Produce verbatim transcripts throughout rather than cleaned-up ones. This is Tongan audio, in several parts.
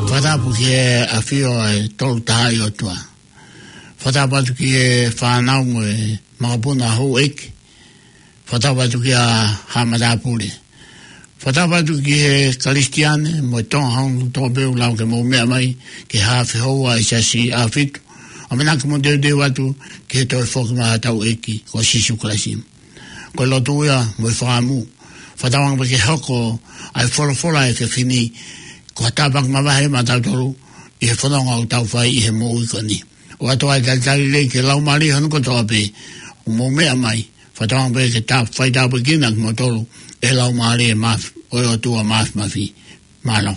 Fakatapu ki he ʻafio ʻa e Tolu Tahaʻi ʻOtua. Fakatapu atu ki he fānau mo e makapuna houʻeiki. Fakatapu atu kia Haʻa Matāpule. Fakatapu atu ki he Kalisitiane mo e Tonga hono kotoa pē ʻoku lava ke mou meʻa mai ki he haafe houa ʻi he Siasi ʻAhofitu. ʻAmanaki ke mou teuteu atu ki he toe foki mai ʻa hotau ʻEiki ko Sīsū Kalaisi. Ko e lotu ia mo e fakaʻamu. Fakatauange pē ke hoko ʻa e folofola he efiafi ni ko ha tāpuaki mavahe maʻatautolu ʻi he fononga ʻoku tau fai ʻi he moʻui ko eni. ʻOatu ʻa e talitali lelei ki he laumālie hono kotoa pē ʻoku mou meʻa mai. Fakatauange pē ke ta fai tāpuekina kimoutolu ʻe he Laumālie Māf-, ʻo e ʻOtua Māfimafi. Mālō.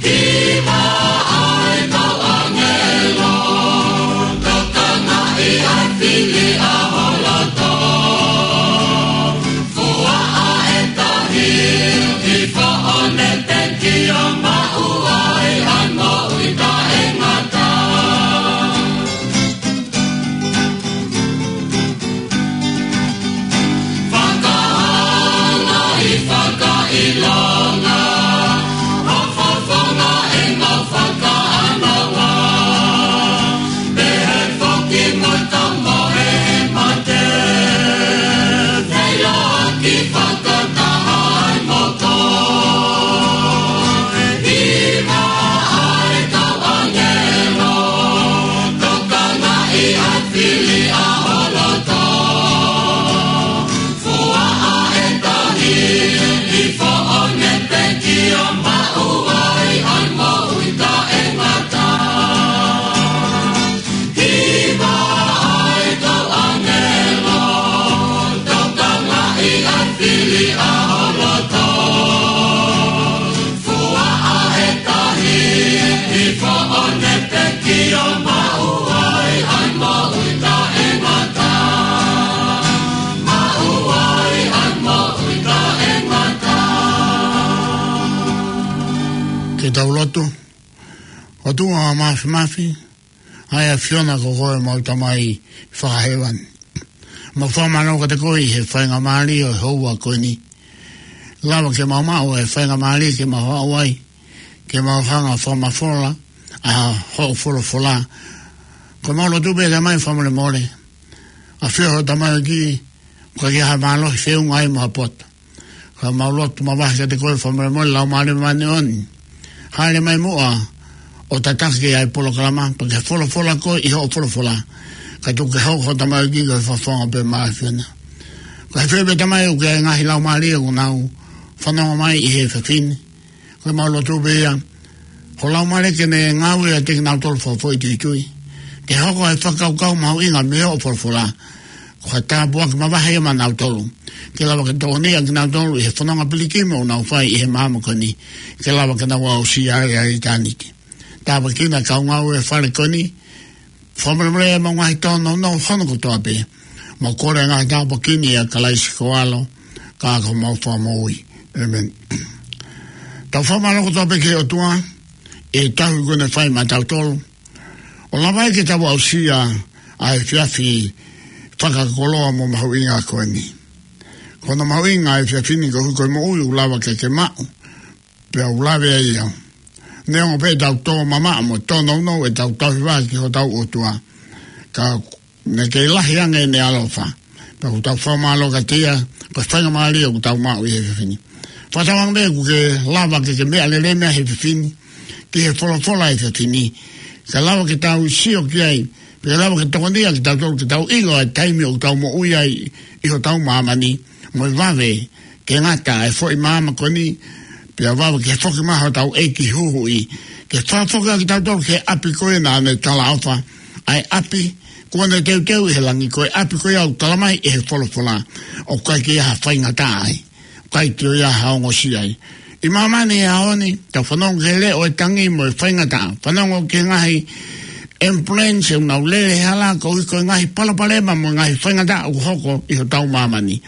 Kimaʻa e kau ʻāngelo, tokanga ʻi he fili ʻa ho loto. Fuaʻa e tahi, hifo ʻo ne pekia, maʻu ai ʻa e moʻui taʻengata. Fakahalaʻi, fakaʻilonga, hofofonga ʻemau fakaʻānaua. Pehē foki mo e tau mohe he mate. Feiloaki fakataha ai mo koe. Kimaʻa e kau ʻāngelo, tokanga ʻi he fili ʻa ho loto. Fuaʻa e tahi, hifo ʻo ne pekia, maʻu ai ʻa e moʻui taʻengata. Kimaʻa e kau ʻāngelo, tokanga ʻi he fili ʻa ho loto. Fuaʻa e tahi, hifo ʻo ne pekia, maʻu ai ʻa e moʻui taʻengata. Maʻu ai ʻa e moʻui taʻengata. Ke tau lotu. ʻOtua Māfimafi, ʻa e ʻAfiona ko koe ʻemau Tamai Fakahēvani. Mau fakamālō kiate koe ʻi he faingamālie ʻo e houa ko eni. Lava ke mau maʻu e faingamālie ke mau haʻu ai, ke mau hanga ʻo fakamafola ʻa hoʻo folofola. Ko ʻemau lotu pē Tamai fakamolemole. ʻAfio ho tamaioʻeiki, ʻoka ʻikai ha mālohi feʻunga ai mo ha poto. Ka mau lotu mavahe kiate koe fakamolemole Laumālie Māʻoniʻoni. Hāʻele mai muʻa ʻo tataki ʻa e polokalama, pea ke folofola koe ʻi hoʻo folofola. Kae tuku ke hoko ho tamaioʻeiki ko e fakafofonga pē maʻa e ʻAfiona. Ko e fē pē Tamai ʻoku ʻi ai e ngaahi laumālie ʻoku nau fanongo mai ʻi he efiafi ni. Ko ʻemau lotu pē ia, ho Laumālie ke ne ngāue ʻiate kinautolu fakafoʻituitui. Ke hoko ʻa e fakakaukau mahuʻinga mei hoʻo folofola. Ko ha tāpuaki mavahe ia maʻanautolu. Ke lava ke tokoniʻi kinautolu ʻi he fononga pilikimi ʻoku nau fai ʻi he māmani ko eni. Ke lava ke nau aʻusia ai ʻa ʻitāniti. Tāpuekina e kau ngāue he fale ko eni. Fakamolemole ʻemau ngaahi tōnounou hono kotoa pē. Mau kole ʻa e ngaahi tāpuaki ni ʻia Kalaisi ko ho ʻAlo, ka ko homau Fakamoʻui. ʻĒmeni. Tau fakamālō kotoa pē ki he ʻOtua, ʻi he tauhi kuo ne fai maʻatautolu. ʻO lava ai ke tau aʻusia ʻa e efiafi fakakoloa mo mahuʻinga ko eni. Ko hono mahuʻinga ʻa e efiafi ni koeʻuhi ko e moʻui ʻoku lava ke ke maʻu. Pea ʻoku lave ai au. Neongo pē ʻetau tō mamaʻo mo tōnounou ʻetau tauhi vā ki hotau ʻOtua. Ka ne kei lahi ange ʻene ʻaloʻofa. Pea ʻoku tau fakamālō kiate ia, ko e faingamālie ʻoku tau maʻu ʻi he efiafi ni. Fakatauange pē ʻoku ke lava ke ke meʻa lelei mai he efiafi ni. Ki he folofola he efiafi ni. Ke lava ke tau sio ki ai. Pea lava ke tokoniʻi kitautolu ke tau ʻilo ʻa e taimi ʻoku tau moʻui ai ʻi hotau māmani. Mo e vave ke ngata e foʻi māmani ko eni, pea vave ke foki mai hotau ʻEiki huhuʻi, ke fakafoki kitautolu ki he ʻapi ko ē naʻa ne talaʻofa, ʻa e ʻapi kuo ne teuteu ʻi he langi, ko e ʻapi ko ia ʻoku talamai ʻe he folofola, ʻoku ʻikai ke ʻi ai ha faingataʻa ai. ʻikai toe ʻi ai ha ongosia ai. ʻI māmani he ʻaho ni, tau fanongo ki he leʻo ʻo e tangi mo e faingataʻa. Fanongo ki he ngaahi ambulance ʻoku nau lele he hala, ko e, ko e ngaahi palopalema mo e ngaahi faingataʻa ʻoku hoko ʻi hotau māmani.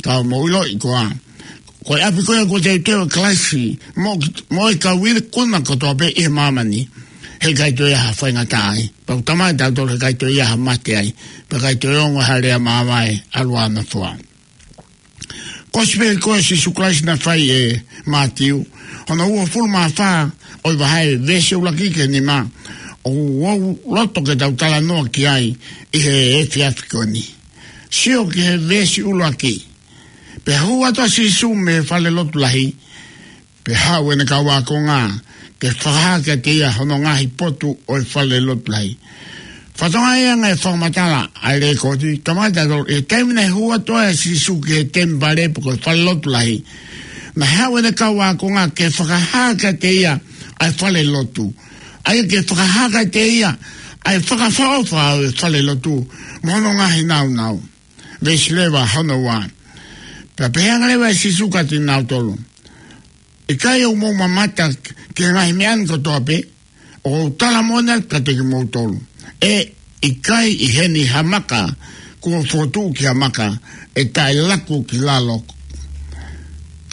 Ka mou ʻiloʻi koā, ko e ʻapi ko ia kuo teuteu ʻe Kalaisi, mo, mo e kau ikuna kotoa pē ʻi he māmani, he ʻikai toe ʻi ai ha faingataʻa ai. Pea ʻoku talamai kiate kitautolu he ʻikai toe ʻi ai ha mate ai, pea ʻikai toe ongo ha lea mavae ʻa e ʻalu ʻa e nofoa. Kosipeli ko ē ʻa Sīsū Kalaisi naʻe fai ʻe Mātiu, hono uofulu mā fā, ʻo e vahe, veesi ʻuluaki ki he nima, ʻoku ou loto ke tau talanoa ki ai ʻi he efiafi ko eni. Sio ki he veesi ʻuluaki. Pea hū atu ʻa Sīsū mei he fale lotu lahi, pea haʻu ʻene kau ākonga ke fakahā kiate ia hono ngaahi potu ʻo e fale lotu lahi. Fakatokangaʻi ange e fakamatala ʻa e lekooti, talamai kiate kitautolu, ʻi he taimi naʻe hū atu ai ʻa Sīsū ki he temipale pe ko e fale lotu lahi, naʻe haʻu ʻene kau ākonga ke fakahā kiate ia ʻa e fale lotu. ʻA ia ke fakahā kiate ia ʻa e fakaʻofoʻofa ʻo e fale lotu, mo hono ngaahi nāunau. Veesi leva hono ua. Pea pehē ange leva ʻe Sīsū kiate kinautolu, ʻikai ʻoku mou mamata ki he ngaahi meʻa ni kotoa pē? ʻOku ou tala moʻoni atu kiate kimoutolu, ʻe ʻikai ʻi heni ha maka kuo fokotuʻu ki ha maka ʻe taʻe laku ki lalo.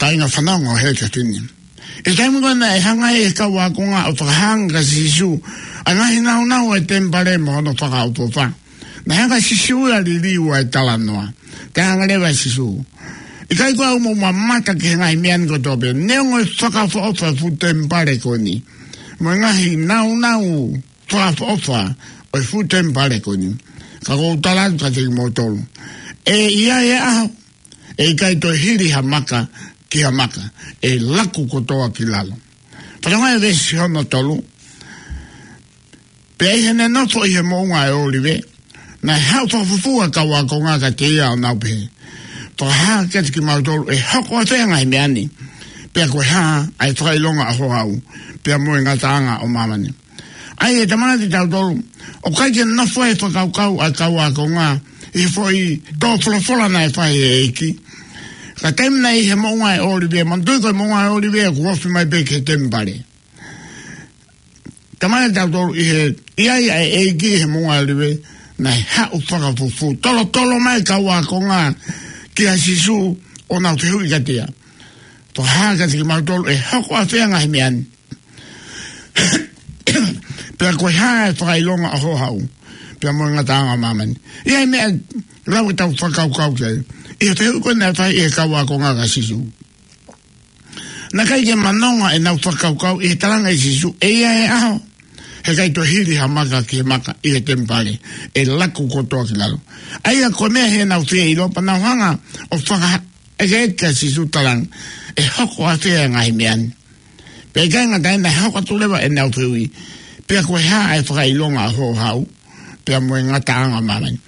Kāinga, fanongo he efiafi ni. ʻI he taimi ko ē naʻe hanga ai ʻe he kau ākonga ʻo fakahā ange kia Sīsū ʻa e ngaahi nāunau ʻo e temipale mo hono fakaʻofoʻofa, naʻe hanga ʻe Sīsū ia ʻo liliu ʻa e talanoa. Talaange leva ʻe Sīsū, ʻikai koā ʻoku mou mamata ki he ngaahi meʻa ni kotoa pē? Neongo e fakaʻofoʻofa ʻo e fuʻu temipale ko eni, mo e ngaahi nāunau fakaʻofoʻofa ʻo e fuʻu temipale ko eni, ka ʻoku ou tala atu kiate kimoutolu, ʻe ʻi ai e ʻaho ʻe ʻikai toe hili ha maka ki ha maka, ʻe laku kotoa ki lalo. Fakatokangaʻi e veesi hono tolu. Pea ʻi heʻene nofo ʻi he moʻunga ʻo e ʻŌlive, naʻe haʻu fakafufū ʻa e kau ākonga kiate ia ʻo nau pehē, Fakahā kiate kimautolu ʻe hoko ʻafē ʻa e ngaahi meʻa ni, pea ko e hā ʻa e fakaʻilonga ʻo ho haʻu, pea mo e ngataʻanga ʻo māmani. ʻA ia ʻe talamai kiate kitautolu, ʻoku ʻikai ke nofo ai e fakakaukau ʻa e kau ākonga ʻi he foʻi tō folofola naʻe fai ʻe he ʻEiki. Ka taimi naʻe ʻi he moʻunga ʻo e ʻŌlive, manatuʻi ko e moʻunga ʻo e ʻŌlive ʻoku ofi mai pē ki he temipale. Talamai kiate kitautolu ʻi he ʻi ai ʻa e ʻEiki ʻi he moʻunga ʻo e ʻŌlive, naʻe haʻu fakafufū, tolotolo mai e kau ākonga kia Sīsū ʻo nau fehuʻi kiate ia, Fakahā kiate kimautolu ʻe hoko ʻafē ʻa e ngaahi meʻa ni, pea ko e hā ʻa e fakaʻilonga ʻo ho haʻu, pea mo e ngataʻanga ʻo māmani. ʻI ai e meʻa ʻe lava ke tau fakakaukau ki ai ʻi he fehuʻi ko ē naʻe fai ʻe he kau ākonga kia Sīsū. Naʻe ʻikai ke manonga ʻenau fakakaukau ʻi he talaange ʻe Sīsū, ʻe ʻi ai e ʻaho he ʻikai toe hili ha maka ki he maka ʻi he temipale, ʻe laku kotoa ki lalo. ʻA ia ko e meʻa heʻenau fie ʻilo, pea nau hanga ʻo fakaʻekeʻeke kia Sīsū, talaange, ʻe hoko ʻafē ʻa e ngaahi meʻa ni. Pea ʻikai ngata ai, naʻe hoko atu leva ʻenau fehuʻi, pea ko e hā ʻa e fakaʻilonga ʻo ho haʻu, pea mo e ngataʻanga ʻo māmani.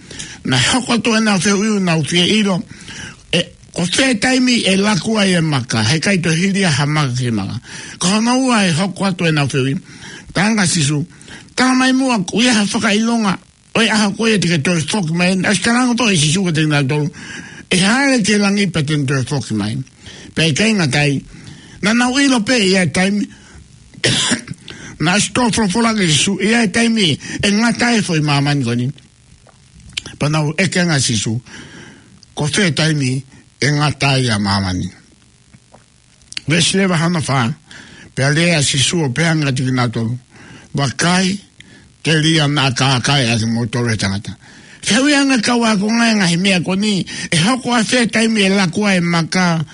Naʻe hoko atu ʻenau fehuʻi ʻo nau fie ʻilo, ʻe, ko fē taimi ʻe laku ai e maka, he ʻikai toe hili ha maka ki he maka. Ko hono ua ʻe hoko atu ʻenau fehuʻi, talaange ʻe Sīsū, Talamai muʻa, ʻoku ʻi ai ha fakaʻilonga ʻo e ʻaho ko ia te ke toe foki mai? Naʻe ʻosi talaange foki ʻe Sīsū kiate kinautolu, ʻe hāʻele ki langi pea te ne toe foki mai. Pea ʻikai ngata ai, naʻa nau ʻilo pē ʻe ʻi ai e taimi, naʻe ʻosi tō folofola ange ʻe Sīsū, ʻe ʻi ai e taimi ʻe ngata ai e foʻi māmani ko eni. Pea nau ʻeke ange kia Sīsū, Ko fē taimi ʻe ngata ai ʻa māmani? Veesi leva hono fā. Pea lea ʻa Sīsū ʻo pehē ange kiate kinautolu, Vakai, telia naʻa kākaaʻi ʻa kimoutolu ʻe he tangata. Fehuʻi ange ʻe he kau ākonga e ngaahi meʻa ko eni, ʻe hoko ʻafē e taimi ʻe laku ai e maka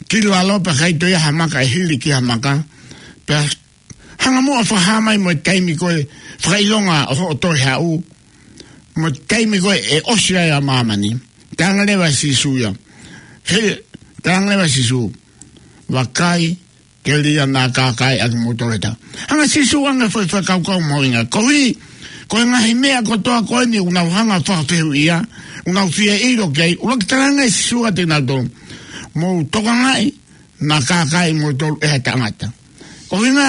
ki lalo pea ʻikai toe ʻi ai ha maka ʻe hili ki ha maka? Pea hanga muʻa ʻo fakahā mai mo e taimi ko e fakaʻilonga ʻo hoʻo toe haʻu, mo e taimi ko ē ʻe ʻosi ai ʻa māmani. Talaange leva ʻe Sīsū ia. He, talaange leva ʻe Sīsū, Vakai, telia naʻa kākaaʻi ʻa kimoutolu ʻe he tangata. Hanga ʻe Sīsū ʻo ʻoange e foʻi fakakaukau mahuʻinga. Koeʻuhi ko e ngaahi meʻa kotoa ko eni ʻoku nau hanga ʻo fakafehuʻia, ʻoku nau fie ʻilo ki ai, ʻuluaki talaange ʻe Sīsū kiate kinautolu, Mou tokangaʻi, naʻa kākaaʻi kimoutolu ʻe ha tangata. Ko e ʻuhinga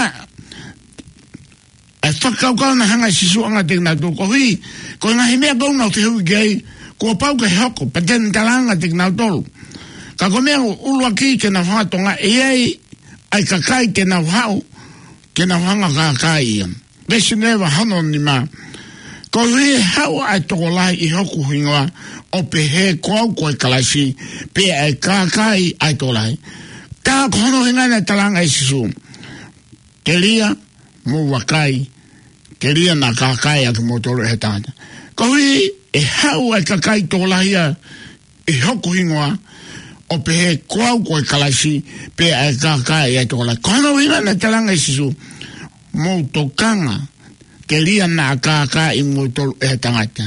ʻa e fakakaukau naʻe hanga ʻe Sīsū ʻo ʻoange kiate kinautolu, koeʻuhi ko e ngaahi meʻa ko ē ʻoku nau fehuʻi ki ai, kuo pau ke hoko, pea te ne talaange kiate kinautolu, Ka ko e meʻa ʻuluaki ke nau hanga ʻo tokangaʻi ʻe ia ʻa e kakai te nau haʻu, ke nau hanga ʻo kākaaʻi ia. Veesi nima hono nima. Koeʻuhi ʻe haʻu ʻa e tokolahi ʻi hoku hingoa, ʻo pehē ko au ko e Kalaisi, pea ʻe kākaaʻi ʻa e tokolahi. Tā ko hono ʻuhinga naʻe talaange ʻe Sīsū: Telia, mou vakai, telia naʻa kākaaʻi ʻa kimoutolu ʻe he tangata. Koeʻuhi ʻe haʻu ʻa e kakai tokolahi ia ʻi hoku hingoa, ʻo pehē ko au ko e Kalaisi, pea ʻe kākaaʻi ʻa e tokolahi. Ko hono ʻuhinga naʻe talaange ʻe Sīsū: Mou tokanga, telia naʻa kākaaʻi kimoutolu ʻe he tangata.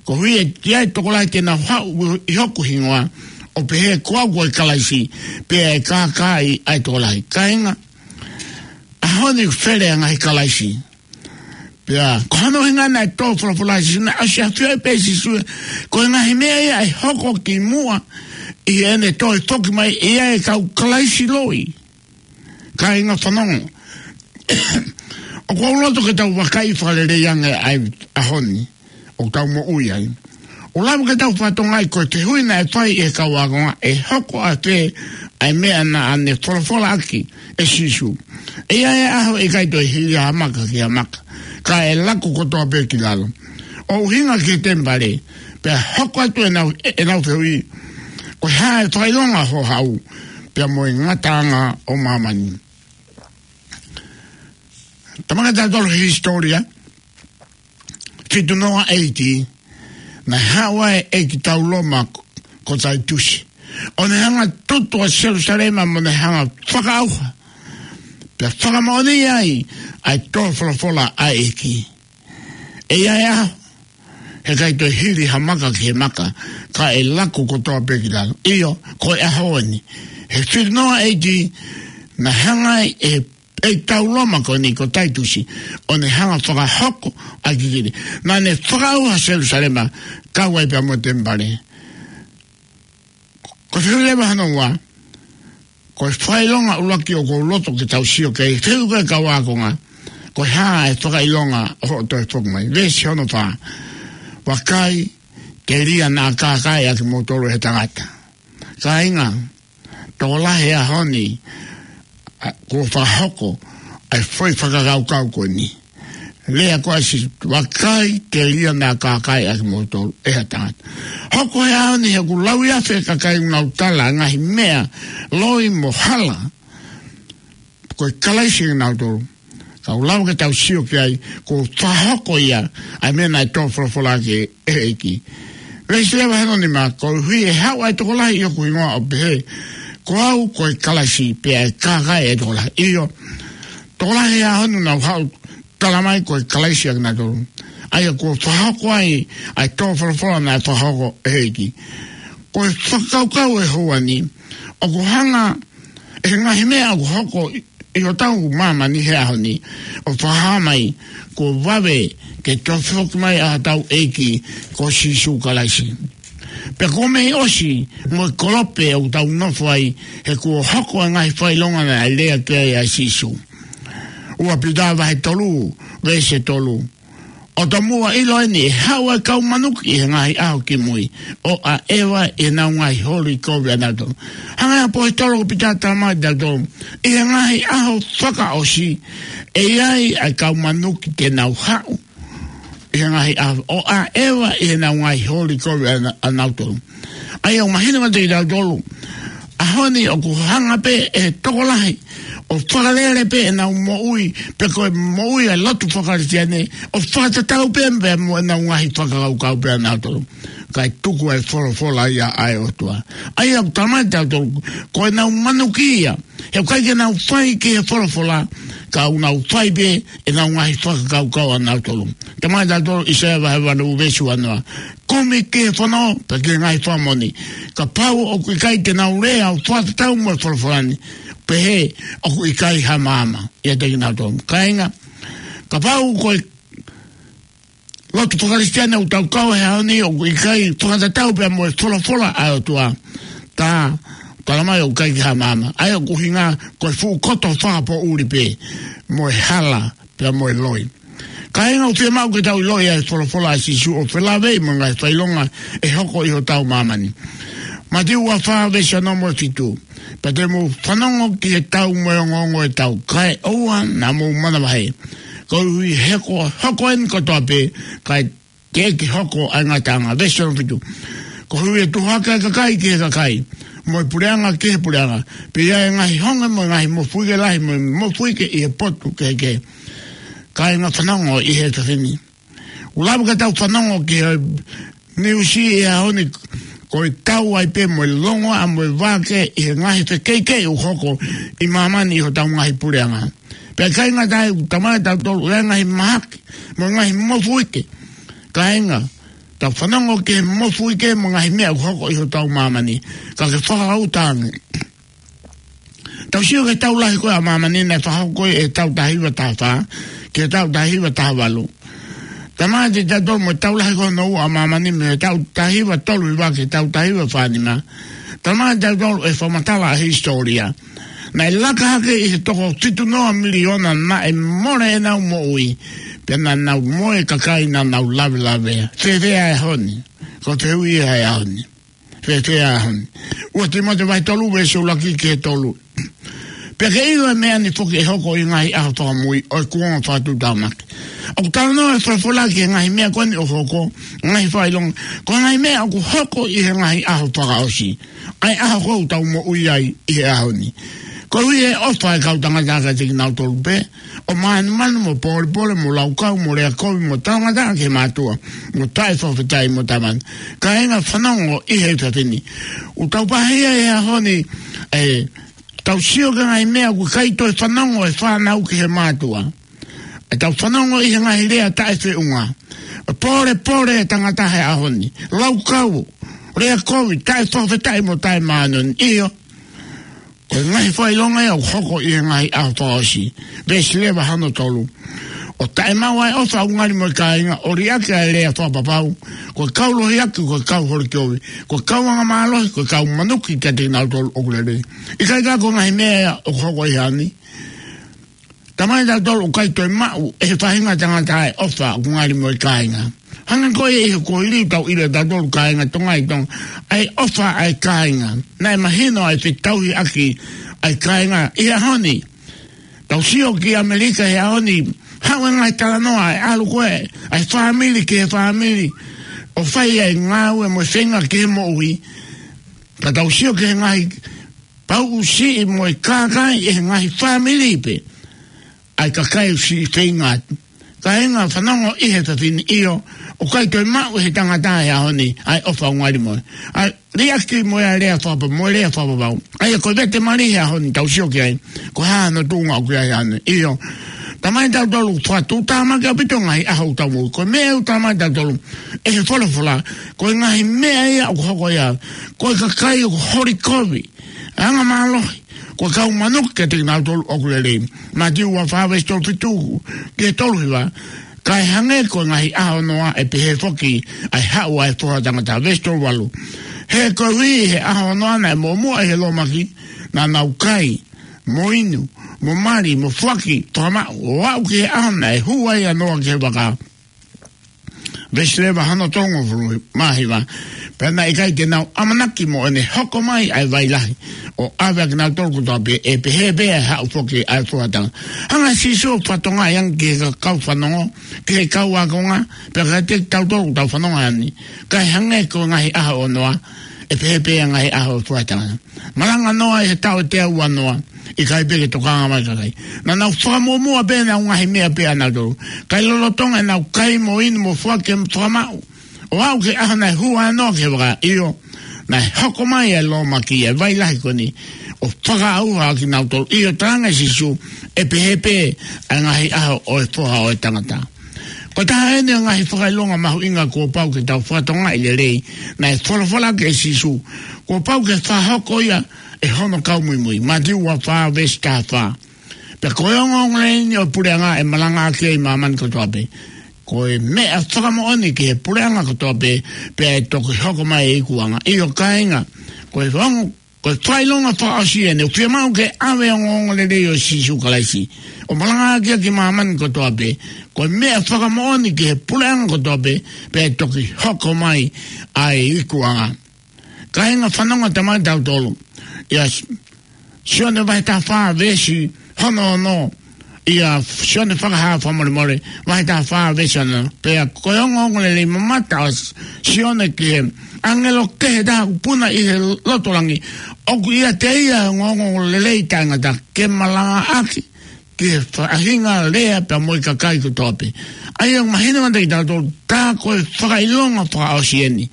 Koeʻuhi ʻe ʻi ai ʻa e tokolahi te nau haʻu ʻi hoku hingoa, ʻo pehē ko au ko e Kalaisi, pea ʻe kākaaʻi ʻa e tokolahi. Kāinga, ʻaho ni fele ʻa e ngaahi Kalaisi. Pea ko hono ʻuhinga naʻe tō folofola ʻa Sīsū, naʻe ʻosi ʻafioʻi pē ʻe Sīsū ko e ngaahi meʻa ia ʻe hoko kimuʻa ʻi heʻene toe foki mai ʻa e kau Kalaisi loi. Kāinga, fanongo, ʻoku ou loto ke tau vakai fakalelei ange ʻa e ʻaho ni ʻoku tau moʻui ai. ʻOku lava ke tau fakatokangaʻi ko e fehuʻi naʻe fai ʻe he kau ākonga: ʻE hoko ʻafē ʻa e meʻa naʻa ne folofolaʻaki ʻe Sīsū? ʻE ʻi ai ʻa e ʻaho ʻe ʻikai toe hili ha maka ki ha maka, ka ʻe laku kotoa pē ki lalo, ʻo ʻuhinga ki he temipale. Pea hoko atu ʻenau, ʻenau fehuʻi: Ko e hā e fakaʻilonga ʻo ho haʻu, pea mo e ngataʻanga ʻo māmani? Talamai kiate kitautolu ʻe he hisitōlia, fitu noa A.D., naʻe haʻu ʻa e ʻeikitau Loma ko, ko Taitusi, ʻo ne hanga ʻo tutu ʻa Selusalema, mo ne hanga ʻo fakaʻauha pea fakamoʻoni ai ʻa e tō folofola ʻa e ʻEiki: ʻE ʻi ai ʻa e ʻaho he ʻikai toe hili ha maka ki he maka, ka ʻe laku kotoa pē ki lalo. ʻIo, ko e ʻaho eni, he fitu noa A.D., naʻe hanga ai ʻe he ʻeikitau Loma ko eni ko Taitusi ʻo ne hanga ʻo fakahoko ʻa e kikili. Naʻa ne fakaʻauha Selusalema, kau ai pea mo e temipale. Ko e fehuʻi leva hono ua, ko e fakaʻilonga ʻuluaki ʻoku ou loto ke tau sio ki ai, fehuʻi ko ē ʻa e kau ākonga: Ko e hā e fakaʻilonga ʻo hoʻo toe foki mai? Veesi hono fā: Vakai, telia naʻa kākaaʻi ʻa kimoutolu ʻe he tangata. Kāinga, tokolahi he ʻaho ni, ʻa, kuo fakahoko ʻa e foʻi fakakaukau ko eni. Lea ko ē ʻa Sīsū: Vakai, telia naʻa kākaaʻi ʻa kimoutolu ʻe ha tangata. Hoko he ʻaho ni he ʻoku lauiafe e kakai ʻoku nau tala ʻa e ngaahi meʻa loi mo hala ko e Kalaisi kinautolu. Ka ʻoku lava ke tau sio ki ai, kuo fakahoko ia ʻa e meʻa naʻe tō folofola ʻaki ʻe he ʻEiki. Veesi leva hono nima: Koeʻuhi ʻe haʻu ʻa e tokolahi ʻi hoku hingoa, ʻo pehē ko au ko e Kalaisi, pea ʻe kākaaʻi ʻa e tokolahi. ʻIo, tokolahi he ʻaho ni ʻoku nau haʻu, talamai ko e Kalaisi ʻa kinautolu, ʻa ia kuo fakahoko ai ʻa e tō folofola naʻe fakahoko ʻe he ʻEiki. Ko e fakakaukau ʻe he houa ni, ʻoku hanga ʻe he ngaahi meʻa ʻoku hoko ʻi, ʻi hotau māmani he ʻaho ni, ʻo fakahā mai kuo vave ke toe foki mai ʻa hotau ʻEiki ko Sīsū Kalaisi. Pea kuo mei ʻosi mo e kolope ʻoku tau nofo ai, he kuo hoko ʻa e ngaahi fakaʻilonga naʻe lea ki ai ʻa Sīsū. Ua Pita vahe tolu, veesi tolu: ʻO tomuʻa ʻiloʻi eni, ʻe haʻu ʻa e kau manuki ʻi he ngaahi ʻaho kimui, ʻo ʻaʻeva ʻi heʻenau ngaahi holi kovi ʻanautolu. Hanga ʻe he ʻaposetolo ko Pita ʻo talamai kiate kitautolu, ʻi he ngaahi ʻaho fakaʻosi, ʻe ʻi ai ʻa e kau manuki te nau haʻu ʻi he ngaahi ʻaho, ʻo ʻaʻeva ʻi heʻenau ngaahi holi kovi ʻana-, ʻanautolu. ʻA ia ʻoku mahino kiate kitautolu, ʻaho ni ʻoku hanga pē ʻe he tokolahi ʻo fakalele pē ʻenau moʻui, pe ko e moʻui ʻa e lotu faka-Kalisitiane, ʻo fakatatau pē pea mo ʻenau ngaahi fakakaukau pē ʻanautolu, kae tuku ʻa e folofola ia ʻa e ʻOtua. ʻA ia ʻoku talamai kiate kitautolu, ko ʻenau manuki ia, he ʻoku ʻikai ke nau fai ki he folofola, ka ʻoku nau fai pē ʻenau ngaahi fakakaukau ʻanautolu. Talamai kiate kitautolu ʻe ʻAisea vahe valu veesi uanoa: Kumi ki he fono, pea ki he ngaahi fakamoʻoni. Kapau ʻoku ʻikai te nau lea ʻo fakatatau mo e folofola ni, pehē ʻoku ʻikai ha maama ʻiate kinautolu. Kāinga, kapau ko e lotu faka-Kalisitiane ʻoku tau kau he ʻaho ni ʻoku ʻikai fakatatau pea mo e folofola ʻa e ʻOtua, tā, talamai ʻoku ʻikai ke ha maama. ʻA ia ʻoku ʻuhinga ko e fuʻu koto fakapoʻuli pē mo e hala pea mo e loi. Kāinga, ʻoku fiemaʻu ke tau ʻiloʻi ʻa e folofola ʻa Sīsū ʻo felāveʻi mo e ngaahi fakaʻilonga ʻe hoko ʻi hotau māmani. Mātiu ua fā veesi ono mo e fitu. Pea te mou fanongo ki he tau mo e ongoongo ʻo e tau, kae ʻoua naʻa mou manavahē. Koeʻuhi he ko, hoko eni kotoa pē, kae teʻeki hoko ʻa e ngataʻanga. Veesi ono fitu. Koeʻuhi ʻe tuʻu hake ʻa e kakai ki he kakai, mo e puleʻanga ki he puleʻanga, pea ʻe ʻi ai e ngaahi honge mo e ngaahi mofuike lahi mo e mofuike ʻi he potu kehekehe. Kāinga, fanongo ʻi he efiafi ni. ʻOku lava ke tau fanongo ki he niusi ʻi he ʻaho ni, ko e tau ai pē mo e longoaʻa mo e vākē ʻi he ngaahi fekeʻikeʻi ʻoku hoko ʻi māmani ʻi hotau ngaahi puleʻanga. Pea ʻikai ngata ai, ʻoku talamai ʻe tautolu ʻoku ʻi ai e ngaahi mahaki mo e ngaahi mofuike. Kāinga, tau fanongo ki he mofuike mo e ngaahi meʻa ʻoku hoko ʻi hotau māmani, ka ke fakakaukau ange. Tau sio ki he tau lahi ko ē ʻa māmani naʻe fakahoko ʻi he taʻu taha hiva taha fā ki he taʻu taha hiva taha valu. Talamai ʻe tautolu mo e tau lahi ko hono ua ʻa māmani, mei he taʻu taha hiva tolu hiva ki he taʻu taha hiva fā nima. Talamai ʻe tautolu ʻe he fakamatala ʻa e hisitōlia, naʻe laka hake ʻi he toko fitu noa miliona naʻe mole ʻenau moʻui, pea naʻa nau moe kakai naʻa nau lavelavea. Fēfē ʻa e ʻaho ni? Ko e fehuʻi ia ʻa e ʻaho ni. Fēfē ʻa e ʻaho ni? Ua Tīmote vahe tolu veesi ʻuluaki ki he tolu. Pea ke ʻilo ʻa e meʻa ni foki ʻe hoko ʻi he ngaahi ʻaho fakamui ʻo e kuonga fakatuʻutāmaki. ʻOku talanoa e folofola ki he ngaahi meʻa ko eni ʻoku hoko, ngaahi fakaʻilonga, ko e ngaahi meʻa ʻoku hoko ʻi he ngaahi ʻaho fakaʻosi, ʻa e ʻaho ko ē ʻoku tau moʻui ai ʻi he ʻaho ni. Koeʻuhi he ʻofa ʻa e kau tangata kiate kinautolu pē, ʻo mānumanu mo pōlepole mo laukau mo lea kovi mo talangataʻa ki he mātuʻa, mo taʻefakafetaʻi mo tamaiki. Kāinga, fanongo ʻi he efiafi ni. ʻOku tau pāhia he ʻaho ni, ē, tau sio ki he ngaahi meʻa ʻoku ʻikai toe fanongo ʻe he fānau ki he mātuʻa. ʻE tau fanongo ʻi he ngaahi lea taʻefeʻunga. Pōlepole e tangata he ʻaho ni. Laukau, lea kovi, taʻefakafetaʻi mo taʻemāʻoniʻoni. ʻIo. Ko e ngaahi fakaʻilonga ia ʻoku hoko ʻi he ngaahi ʻaho fakaʻosi. Veesi leva hono tolu. ʻO taʻemaʻu ʻa e ʻofa ʻoku ngali mo e kāinga, ʻo liʻaki ʻa e lea fakapapau, ko e kau lohiaki, ko e kau holi kovi, ko e kau angamālohi, ko e kau manuki kiate kinautolu ʻoku lelei. ʻIkai ko e ngaahi meʻa ia ʻoku hoko ʻi he ʻaho ni? Talamai ʻe tautolu ʻoku ʻikai toe maʻu ʻe he faʻahinga tangata ʻa e ʻofa ʻoku ngali mo e kāinga. Hangē ko ia ʻi he kuohili, tau ʻilo ʻe tautolu, kāinga, Tonga ʻi Tonga, ʻa e ʻofa ʻa e kāinga. Naʻe mahino ʻa e fetauhiʻaki ʻa e kāinga ʻi he ʻaho ni. Tau sio ki ʻAmelika he ʻaho ni, haʻu e ngaahi talanoa ʻa e ʻalu ko ē ʻa e fāmili ki he fāmili, ʻo fai ʻa e ngāue mo e feinga ki he moʻui. Ka tau sio ki he ngaahi pauʻu siʻi mo e kākaaʻi ʻe he ngaahi fāmili pē ʻa e kakai ʻoku siʻi feinga atu. Kāinga, fanongo ʻi he efiafi ni. ʻIo, ʻoku ʻikai toe maʻu ʻe he tangata he ʻaho ni ʻa e ʻofa ʻoku ngali mo e, ʻa e liʻaki mo e lea fakapa-, mo e lea fakapapau. ʻA ia ko e vete mali he ʻaho ni, tau sio ki ai, ko e hā hono tuʻunga ʻoku ʻi ai he ʻaho ni. ʻIo, talamai ʻe tautolu ʻoku fakatuʻutāmaki ʻaupito e ngaahi ʻaho ʻoku tau moʻui. Ko e meʻa ʻoku talamai ʻe tautolu ʻe he folofola, ko e ngaahi meʻa ia ʻoku hoko ia, ko e kakai ʻoku holi kovi, angamālohi, ko e kau manuki kiate kinautolu ʻoku lelei. Mātiu ua fā veesi tolu fitu ki he tolu hiva. Kae hangē ko e ngaahi ʻaho ʻo Noa, ʻe pehē foki ʻa e haʻu ʻa e Foha ʻo e tangata. Veesi tolu valu. He koeʻuhi he ʻaho ʻo Noa naʻe muʻomuʻa ʻi he lōmaki, naʻa nau kai, mo inu, mo mali, mo foaki fakamaʻu, ʻo aʻu ki he ʻaho naʻe hū ai ʻa Noa ki he vaka. Veesi leva hono tolungofulu mā hiva. Pea naʻe ʻikai te nau ʻamanaki mo ʻene hoko mai ʻa e vai lahi ʻo ʻave ʻa kinautolu kotoa pē, ʻe pehē pē ʻa e haʻu foki ʻa e Foha ʻo e tangata. Hanga ʻe Sīsū ʻo fakatokangaʻi ange ki he kau fanongo, ki he kau ākonga, pea kiate kitautolu ʻoku tau fanongo he ʻaho ni. Kae hangē ko e ngaahi ʻaho ʻo Noa, ʻe pehē pē ʻa e ngaahi ʻaho ʻo e Foha ʻo e tangata. Malanga ʻa Noa ʻi he taʻu ʻe teau ua noa, ʻikai pē ke tokanga mai e kakai. Naʻa nau fakamuʻomuʻa pē ʻenau ngaahi meʻa pē ʻanautolu. Kae lolotonga ʻenau kai mo inu mo foaki mo fakamaʻu, ʻo aʻu ki he ʻaho naʻe hū ai ʻa Noa ki he vaka, ʻio, naʻe hoko mai ʻa e lōmaki, ʻa e vai lahi ko eni, ʻo fakaʻauha ʻa kinautolu. ʻIo, talaange ʻe Sīsū, ʻe pehē pē ʻa e ngaahi ʻaho ʻo e Foha ʻo e tangata. Ko e taha eni ʻo e ngaahi fakaʻilonga mahuʻinga kuo pau ke tau fakatokangaʻi lelei, naʻe folofola ki ai ʻe Sīsū, kuo pau ke fakahoko ia ʻe hono kau muimui. Mātiu ua fā veesi taha fā. Pea ko e ongoongolelei eni ʻo e puleʻanga ʻe malangaʻaki ai ʻa māmani kotoa pē. Ko e meʻa fakamoʻoni ki he puleʻanga kotoa pē, pea ʻe toki hoko mai e ikuʻanga. ʻIo kāinga, ko e ongo, ko e fakaʻilonga fakaʻosi eni, ʻoku fiemaʻu ke ʻave e ongoongolelei ʻo Sīsū Kalaisi, ʻo malangaʻaki ʻaki ʻa māmani kotoa pē. Ko e meʻa fakamoʻoni ki he puleʻanga kotoa pē, pea ʻe toki hoko mai ʻa e ikuʻanga. Kāinga, fanongo atu mai tautolu. ʻIa S-, Sione vahe taha fā veesi hono ono. ʻIa Sione Fakahā Fakamolemole vahe taha fā veesi ono. Pea ko e ongoongolelei mamata ʻa S-, Sione ki he ʻāngelo kehe taha ʻoku puna ʻi he loto langi. ʻOku ʻiate ia ʻa e ongoongolelei taʻengata ke malangaʻaki ki he faʻahinga lea pea mo e kakai kotoa pē. ʻA ia ʻoku mahino kiate kitautolu, tā ko e fakaʻilonga fakaʻosi eni.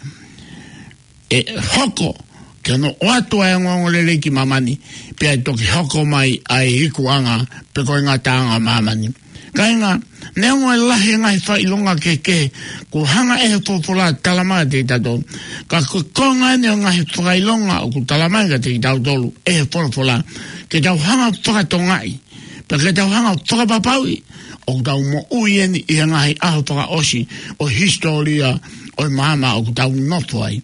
ʻE hoko ke nau ʻoatu ʻa e ongoongolelei ki māmani, pea ʻe toki hoko mai ʻa e ikuʻanga pe ko e ngataʻanga ʻo māmani. Kāinga, neongo e lahi e ngaahi fakaʻilonga kehekehe kuo hanga ʻe he folofola ʻo talamai kiate kitautolu, ka ko e konga eni ʻo e ngaahi fakaʻilonga ʻoku talamai kiate kitautolu ʻe he folofola, ke tau hanga ʻo fakatokangaʻi, pea ke tau hanga ʻo fakapapauʻi ʻoku tau moʻui eni ʻi he ngaahi ʻaho fakaʻosi ʻo e hisitōlia ʻo e maama ʻoku tau nofo ai.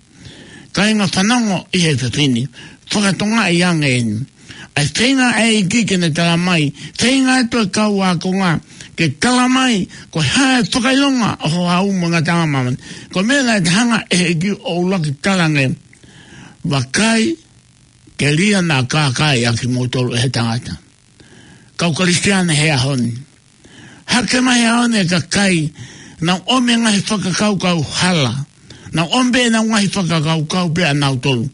Kāinga, fanongo ʻi he efiafi ni, fakatokangaʻi ange eni. ʻA e feinga ʻa e ʻEiki ke ne talamai, feinga atu e kau ākonga ke talamai ko e hā e fakaʻilonga ʻo ho haʻu mo e ngataʻanga ʻo māmani. Ko e meʻa naʻe hanga ʻe he ʻEiki ʻo ʻuluaki talaange, vakai, telia naʻa kākaaʻi ʻa kimoutolu ʻe he tangata. Kau Kalisitiane he ʻaho ni, hake mai he ʻaho ni e kakai, nau ʻomi e ngaahi fakakaukau hala. Nau ʻomi pē ʻenau ngaahi fakakaukau pē ʻanautolu,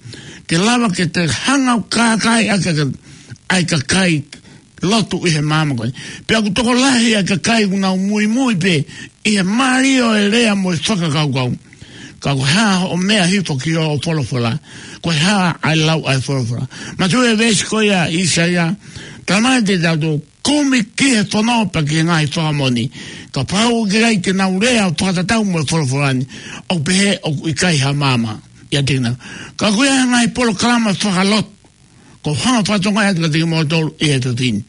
ke lava ke te hanga ʻo kākaaʻi ʻaki ʻa e kakai lotu ʻi he maama ko eni. Pea ʻoku tokolahi ʻa e kakai ʻoku nau muimui pē ʻi he mālie ʻo e lea mo e fakakaukau. Ka ko e hā hoʻo meʻa hifo ki hoʻo folofola? Ko e hā ʻa e lau ʻa e folofola? Manatuʻi e veesi ko ia ʻa ʻĪsaia, talamai kiate kitautolu, kumi ki he fono pea ki he ngaahi fakamoʻoni. Kapau ʻoku ʻikai ke nau lea ʻo fakatatau mo e folofola ni, ʻoku pehē ʻoku ʻikai ha maama ʻiate kinautolu. Ka ko e ngaahi polokalama fakalotu ʻoku ou hanga ʻo fakatokangaʻi atu kiate kimoutolu ʻi he efiafi ni,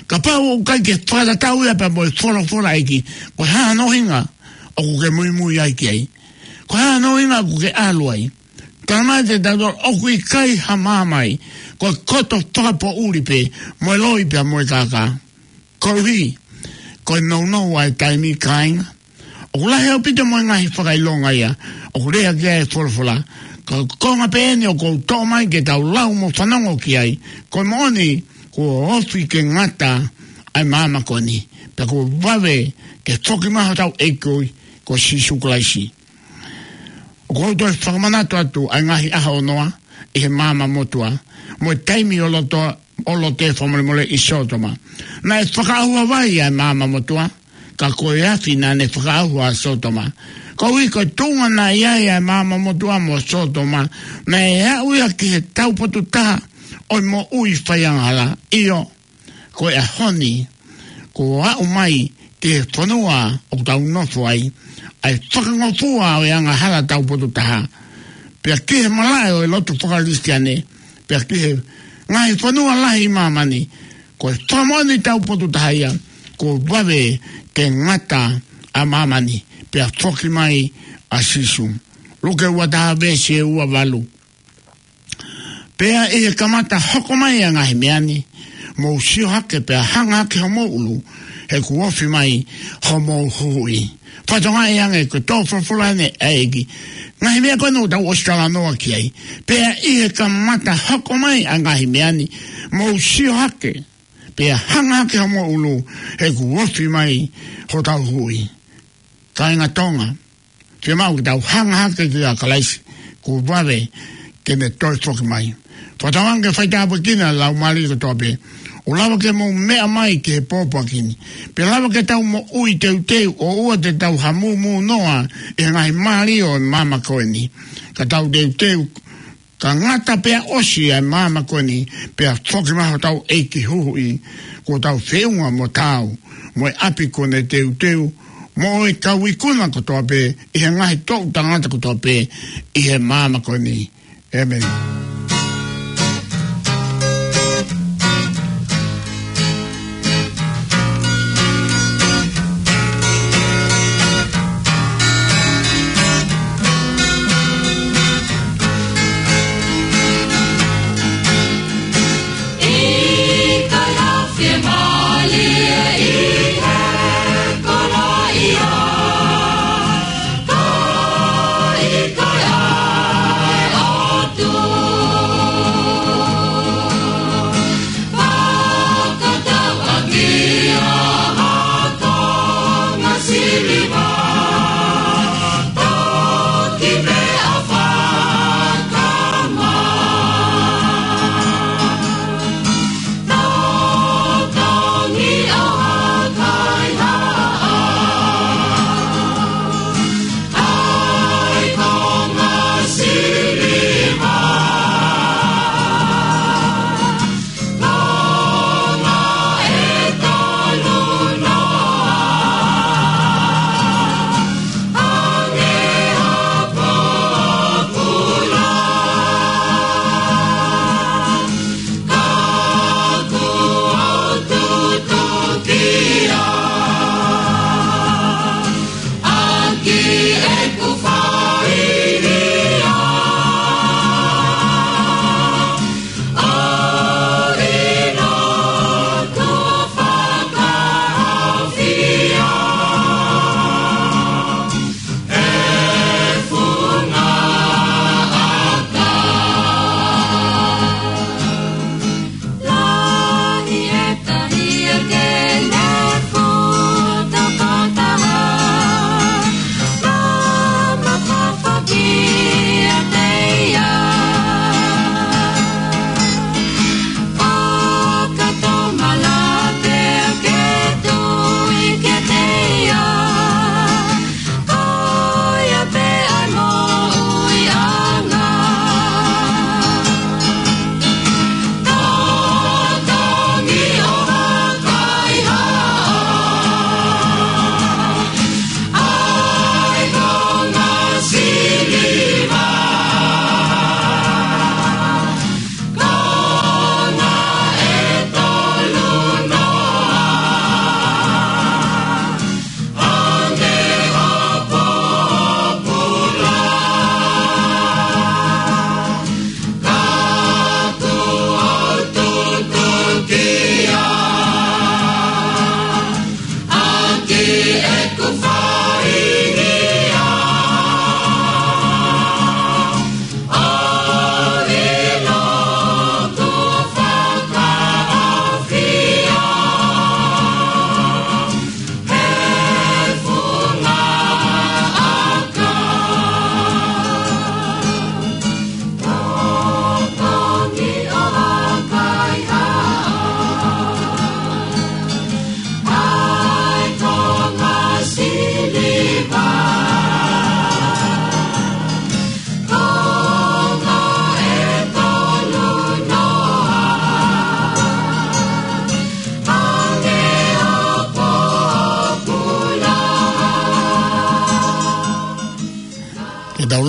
kapau ʻoku ʻikai ke fakatatau ia pea mo e folofola ʻa e ʻEiki, ko e hā hono ʻuhinga ʻoku ke muimui ai ki ai? Ko e hā hono ʻuhinga ʻoku ke ʻalu ai? Talamai kiate kitautolu ʻoku ʻikai ha maama ai, ko e koto fakapoʻuli pē mo e loi pea mo e kākā. Koeʻuhi ko e nounou ʻa e taimi, kāinga, ʻoku lahi ʻaupito mo e ngaahi fakaʻilonga ia ʻoku lea ki ai e folofola. Ka ko e konga pē eni ʻoku ou toʻo mai ke tau lau mo fanongo ki ai. Ko e moʻoni, kuo ofi ke ngata ʻa e maama ko eni, pea kuo vave ke foki mai hotau ʻEiki ko Sīsū Kalaisi. ʻOku ou toe fakamanatu atu ʻa e ngaahi ʻaho ʻo Noa ʻi he maama motuʻa, mo e taimi ʻo Loto, ʻo Lote fakamolemole ʻi Sōtoma. Naʻe fakaʻauha vai ʻa e maama motuʻa, ka ko e afi naʻa ne fakaʻauha ʻa Sōtoma. Koeʻuhi ko e tuʻunga naʻe ʻi ai ʻa e maama motuʻa mo Sōtoma, naʻe aʻu ia ki he taupotu taha ʻo e moʻui faiangahala. ʻIo, ko e ʻaho ni, kuo aʻu mai ki he fonua ʻoku tau nofo ai ʻa e fakangofua ʻo e angahala taupotu taha, pea ki he malaʻe ʻo e lotu faka-Kalisitiane, pea ki he ngaahi fonua lahi ʻi māmani. Ko e fakamoʻoni taupotu taha ia, kuo vave ke ngata ʻa māmani, pea foki mai ʻa Sīsū. Luke ua taha veesi ua valu. Pea ʻi he kamata hoko mai ʻa e ngaahi meʻa ni, mou sio hake pea hanga hake homou ʻulu, he kuo ofi mai homou Huhuʻi. Fakatokangaʻi ange ko e tō folofola eni ʻa e ʻEiki. Ngaahi meʻa ko eni ʻoku tau ʻosi talanoa ki ai. Pea ʻi he kamata hoko mai ʻa e ngaahi meʻa ni, mou sio hake pea hanga hake homou ʻulu, he kuo ofi mai hotau Huhuʻi. Kāinga Tonga, fiemaʻu ke tau hanga hake kia Kalaisi, kuo vave ke ne toe foki mai. Fakatauange ke faitāpuekina e laumālie kotoa pē. ʻOku lava ke mou meʻa mai ki he pōpoaki ni, pea lava ke tau moʻui teuteu, ʻoua te tau hamūmū noa ʻi he ngaahi mālie ʻo e maama ko eni. Ka tau teuteu, ka ngata pea ʻosi ʻa e maama ko eni, pea foki mai hotau ʻEiki Huhuʻi, kuo tau feʻunga mo taau, mo e ʻapi kuo ne teuteu, mo e kau ikuna kotoa pē, ʻi he ngaahi toʻu tangata kotoa pē ʻi he maama ko eni. ʻĒmeni.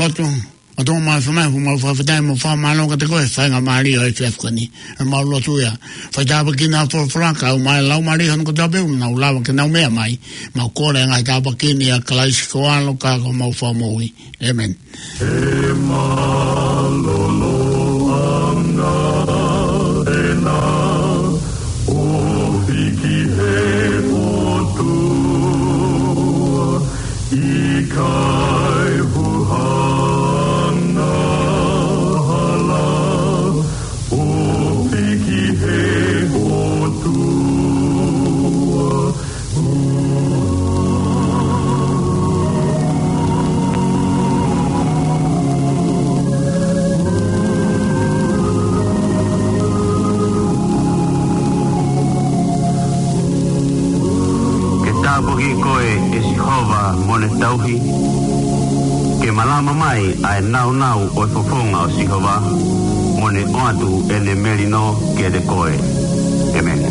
ʻOtua, ʻOtua Māfimafi, ʻoku mau fakafetaʻi mo fakamālō kiate koe he faingamālie ʻo e efiafi ko eni. ʻOku mau lotua, faitāpuekina ʻa e folofola, kae ʻumaʻā e laumālie hono kotoa pē ʻoku nau lava ke nau meʻa mai. Mau kole ʻa e ngaahi tāpuaki ni ʻia Kalaisi ko ho ʻAlo ka ko homau Fakamoʻui. ʻĒmeni. He mālōlōʻanga ʻena, ʻofi ki he ʻOtua, ʻikai huhanga hala, ʻofi ki he ʻOtua. Ke tāpuekina koe ʻe Sihova mo ʻene tauhi, ke malama mai ʻa e nāunau ʻo e fofonga ʻo Sihova, mo ne ʻoatu ʻene melino kiate koe. ʻĒmeni.